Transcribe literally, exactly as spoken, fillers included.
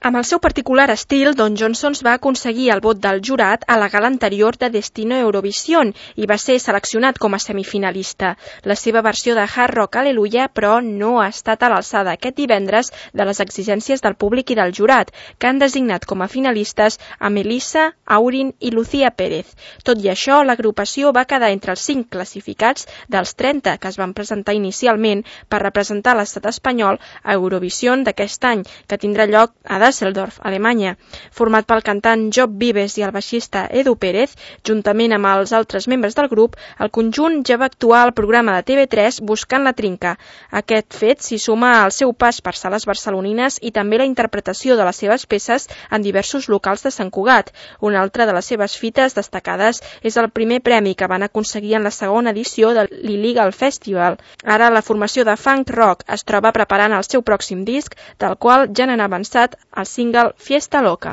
Amb el seu particular estil, Don Johnsons va aconseguir el vot del jurat a la gala anterior de Destino Eurovision i va ser seleccionat com a semifinalista. La seva versió de Hard Rock Hallelujah, però, no ha estat a l'alçada aquest divendres de les exigències del públic i del jurat, que han designat com a finalistes a Melissa, Aurin i Lucía Pérez. Tot i això, l'agrupació va quedar entre els cinc classificats dels trenta que es van presentar inicialment per representar l'estat espanyol a Eurovision d'aquest any, que tindrà lloc a Düsseldorf, Alemanya. Format pel cantant Job Vives i el baixista Edu Pérez, juntament amb els altres membres del grup, el conjunt ja va actuar al programa de T V tres Buscant la Trinca. Aquest fet s'hi suma al seu pas per sales barcelonines i també la interpretació de les seves peces en diversos locals de Sant Cugat. Una altra de les seves fites destacades és el primer premi que van aconseguir en la segona edició de l'Illegal Festival. Ara la formació de funk rock es troba preparant el seu pròxim disc, del qual ja n'han avançat el single Fiesta Loca.